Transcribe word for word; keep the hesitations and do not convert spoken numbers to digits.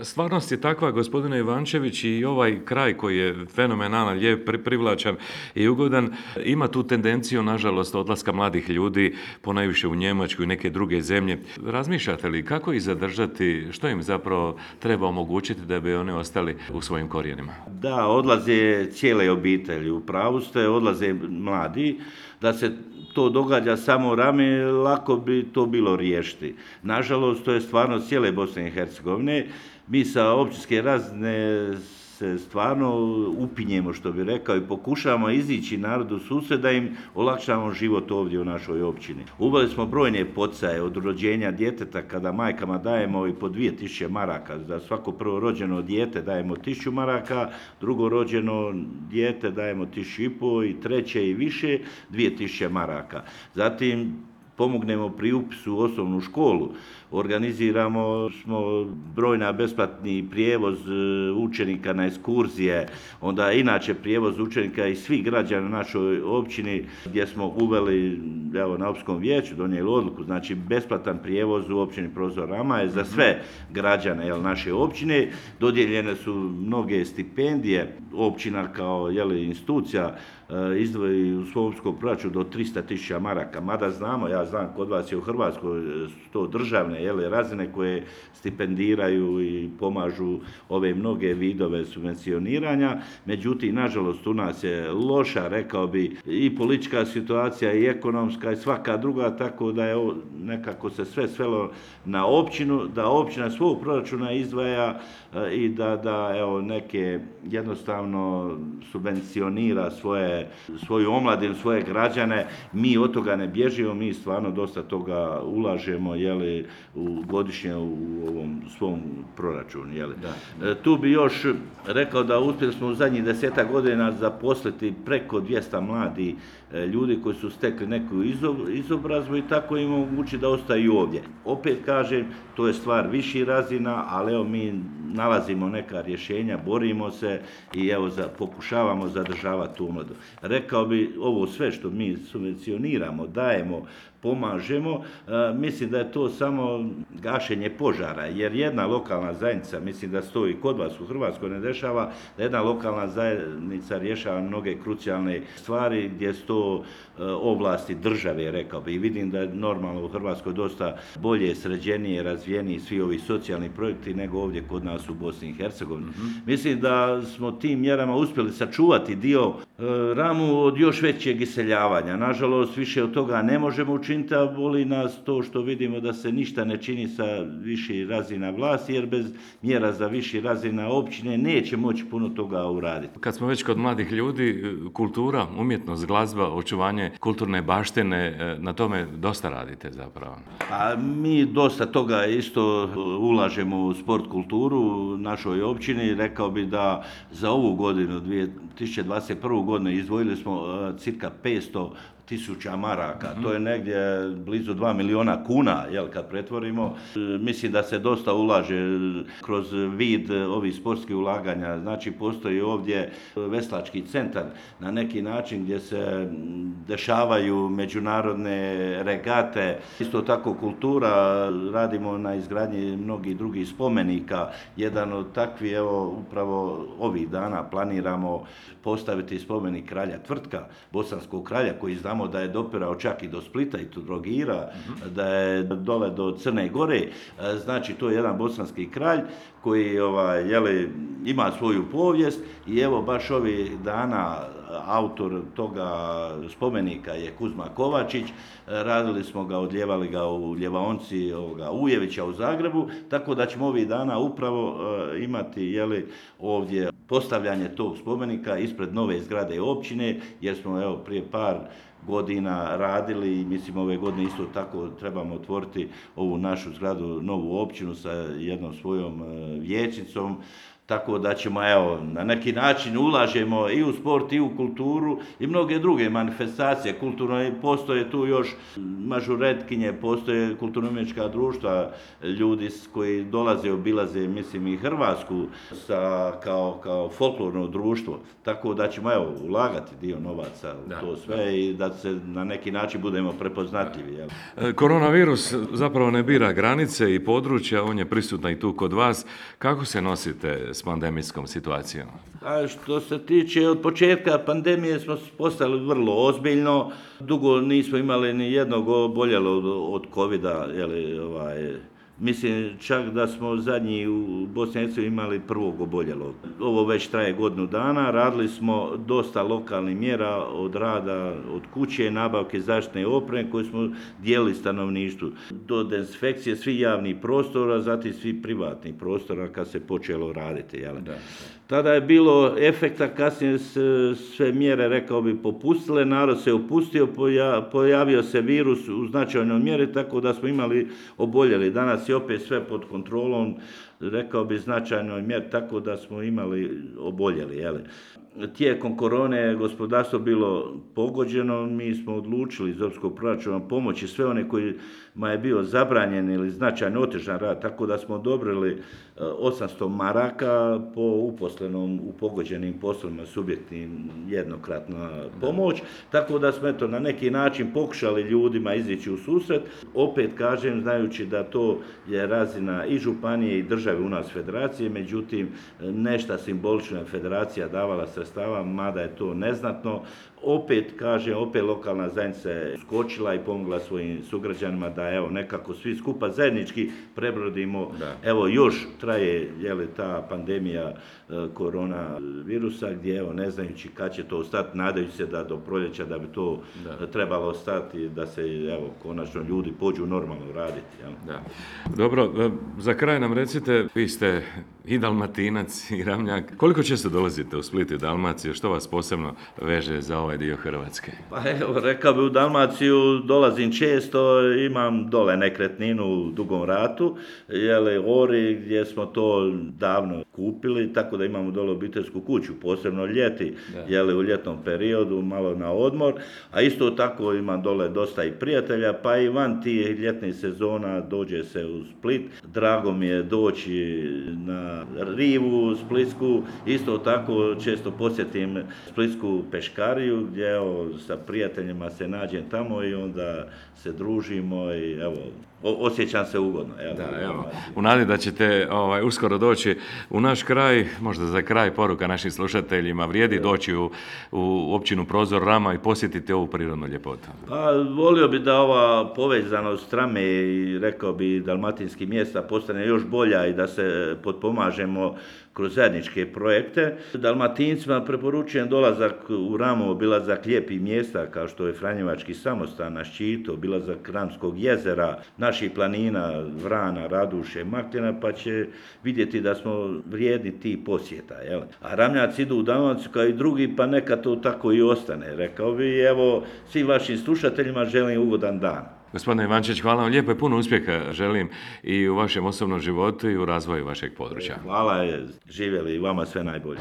Stvarnost je takva, gospodine Ivančević, i ovaj kraj koji je fenomenalan, lijep, privlačan i ugodan, ima tu tendenciju, nažalost, odlaska mladih ljudi, ponajviše u Njemačku i neke druge zemlje. Razmišljate li kako ih zadržati, što im zapravo treba omogućiti da bi oni ostali u svojim korijenima? Da, odlaze cijele obitelji, u pravu ste, odlaze mladi. Da se to događa samo rame, lako bi to bilo riješiti. Nažalost, to je stvarno cijele Bosne i Hercegovine. Mi sa općinske razine se stvarno upinjemo, što bi rekao, i pokušavamo izići narodu susret da im olakšamo život ovdje u našoj općini. Uveli smo brojne poticaje od rođenja djeteta, kada majkama dajemo i po dvije tisuće maraka. Za svako prvo rođeno dijete dajemo tisuću maraka, drugo rođeno dijete dajemo tisuću i po i treće i više dvije tisuće maraka. Zatim pomognemo pri upisu u osnovnu školu. Organiziramo smo brojna besplatni prijevoz učenika na ekskurzije, onda inače prijevoz učenika i svih građana na našoj općini, gdje smo uveli, evo, na općinskom vijeću donijeli odluku, znači besplatan prijevoz u općini Profesor Rama je za sve građane, jel, naše općine. Dodijeljene su mnoge stipendije, općina kao, jel, institucija izdvoji u svom općinskom proračunu do tristo tisuća maraka, mada znamo, ja znam, kod vas je u Hrvatskoj to državne, jel, razine koje stipendiraju i pomažu ove mnoge vidove subvencioniranja. Međutim, nažalost, u nas je loša, rekao bi, i politička situacija i ekonomska i svaka druga, tako da je nekako se sve svelo na općinu, da općina svog proračuna izdvaja i da, da evo, neke jednostavno subvencionira svoje, svoju omladinu, svoje građane. Mi od toga ne bježimo, mi stvarno dosta toga ulažemo, jeli, u godišnje u ovom svom proračunu. Jeli. Da. Tu bi još rekao da uspjeli smo u zadnjih desetak godina zaposliti preko dvjesto mladih ljudi koji su stekli neku izobrazbu i tako im omogući da ostaju ovdje. Opet kažem, to je stvar viših razina, ali evo mi nalazimo neka rješenja, borimo se i evo za, pokušavamo zadržavati tu omladu. Rekao bi, ovo sve što mi subvencioniramo, dajemo, pomažemo, mislim da je to samo gašenje požara, jer jedna lokalna zajednica, mislim da se to i kod vas u Hrvatskoj ne dešava, da jedna lokalna zajednica rješava mnoge krucijalne stvari gdje su to ovlasti države, rekao bi. I vidim da je normalno u Hrvatskoj dosta bolje, sređenije, razvijeniji svi ovi socijalni projekti nego ovdje kod nas u Bosni i Hercegovini. Mm-hmm. Mislim da smo tim mjerama uspjeli sačuvati dio Ramu od još većeg iseljavanja. Nažalost, više od toga ne možemo učiniti, a boli nas to što vidimo da se ništa ne čini sa viših razina vlasti, jer bez mjera za viših razina općine neće moći puno toga uraditi. Kad smo već kod mladih ljudi, kultura, umjetnost, glazba, očuvanje kulturne baštine, na tome dosta radite zapravo. A mi dosta toga isto ulažemo u sport kulturu u našoj općini. Rekao bi da za ovu godinu, dvije tisuće dvadeset prvu godinu, izdvojili smo cirka petsto tisuća maraka, mm-hmm. To je negdje blizu dva miliona kuna, jel, kad pretvorimo. Mislim da se dosta ulaže kroz vid ovih sportskih ulaganja. Znači, postoji ovdje veslački centar na neki način gdje se dešavaju međunarodne regate. Isto tako kultura, radimo na izgradnji mnogih drugih spomenika. Jedan od takvih, evo, upravo ovih dana planiramo postaviti spomenik kralja Tvrtka, bosanskog kralja, koji znamo da je dopirao čak i do Splita i do Trogira, mm-hmm. da je dole do Crne Gore. Znači, to je jedan bosanski kralj koji, ovaj, jeli, ima svoju povijest i evo baš ovih dana autor toga spomenika je Kuzma Kovačić. Radili smo ga, odljevali ga u ljevaonci ovoga Ujevića u Zagrebu, tako da ćemo ovih dana upravo uh, imati, jeli, ovdje postavljanje tog spomenika ispred nove zgrade općine, jer smo, evo, prije par godina radili i mislim ove godine isto tako trebamo otvoriti ovu našu zgradu, novu općinu sa jednom svojom vijećnicom. Tako da ćemo, evo, na neki način ulažemo i u sport i u kulturu i mnoge druge manifestacije. Kulturno postoje tu još mažuretkinje, postoje kulturno-umjetnička društva, ljudi koji dolaze, obilaze, mislim, i Hrvatsku sa, kao, kao folklorno društvo. Tako da ćemo, evo, ulagati dio novaca u to sve i da se na neki način budemo prepoznatljivi. Jel? Koronavirus zapravo ne bira granice i područja, on je prisutan i tu kod vas. Kako se nosite s pandemijskom situacijom? A što se tiče od početka pandemije smo postali vrlo ozbiljno. Dugo nismo imali ni jednog oboljelog od covida. Jeli, ovaj, mislim čak da smo zadnji u Bosni i Hercegovini imali prvog oboljelog. Ovo već traje godinu dana. Radili smo dosta lokalnih mjera od rada od kuće, nabavke zaštitne opreme koje smo dijelili stanovništvu. Do dezinfekcije svih javnih prostora, zatim svih privatnih prostora kad se počelo raditi. Jel? Da. Tada je bilo efekta, kasnije sve mjere, rekao bi, popustile, narod se opustio, pojavio se virus u značajnoj mjeri, tako da smo imali oboljeli. Danas je opet sve pod kontrolom, rekao bi, značajnoj mjeri, tako da smo imali oboljeli. Jeli. Tijekom korone gospodarstvo bilo pogođeno, mi smo odlučili iz europskog proračuna pomoći sve one kojima je bio zabranjen ili značajno otežan rad, tako da smo odobrili osamsto maraka po uposlenom u pogođenim poslovima subjektnim jednokratna pomoć, tako da smo eto na neki način pokušali ljudima izići u susret. Opet kažem, znajući da to je razina i županije i države u nas federacije, međutim nešto simbolično je federacija davala sredstava, mada je to neznatno. Opet, kažem, opet lokalna zajednica je skočila i pomogla svojim sugrađanima da evo nekako svi skupa zajednički prebrodimo. Da. Evo još traje jeli, ta pandemija e, koronavirusa gdje evo ne znajući kad će to ostati, nadajući se da do proljeća da bi to da. trebalo ostati, da se evo konačno ljudi pođu normalno raditi. Jel? Da. Dobro, za kraj nam recite, vi ste i Dalmatinac i Ramljak. Koliko često dolazite u Split i Dalmaciju? Što vas posebno veže za ovaj dio Hrvatske? Pa evo, rekao bi u Dalmaciju dolazim često, imam dole nekretninu u Dugom Ratu, jeli, Ori, gdje smo to davno kupili, tako da imamo dole obiteljsku kuću, posebno ljeti, jeli, u ljetnom periodu, malo na odmor, a isto tako imam dole dosta i prijatelja, pa i van tih ljetnih sezona dođe se u Split. Drago mi je doći na rivu splitsku, isto tako često posjetim splitsku peškariju, gdje evo, sa prijateljima se nađem tamo i onda se družimo i evo, osjećam se ugodno. Evo, da, evo, u nadi da ćete ovaj, uskoro doći u naš kraj, možda za kraj poruka našim slušateljima, vrijedi evo. doći u, u općinu Prozor Rama i posjetiti ovu prirodnu ljepotu. Pa, volio bi da ova povezanost Rame i rekao bi dalmatinskih mjesta postane još bolja i da se potpomažemo kroz zajedničke projekte. Dalmatincima preporučujem dolazak u Ramu, obilazak lijepih mjesta kao što je Franjevački samostan na Ščitu, obilazak Ramskog jezera, naših planina, Vrana, Raduše, Makljana, pa će vidjeti da smo vrijedni tih posjeta. Jel? A Ramljaci idu u Dalmaciju kao i drugi, pa neka to tako i ostane. Rekao bi, evo, svim vašim slušateljima želim ugodan dan. Gospodine Ivančić, hvala vam lijepo i puno uspjeha želim i u vašem osobnom životu i u razvoju vašeg područja. Hvala, živjeli i vama sve najbolje.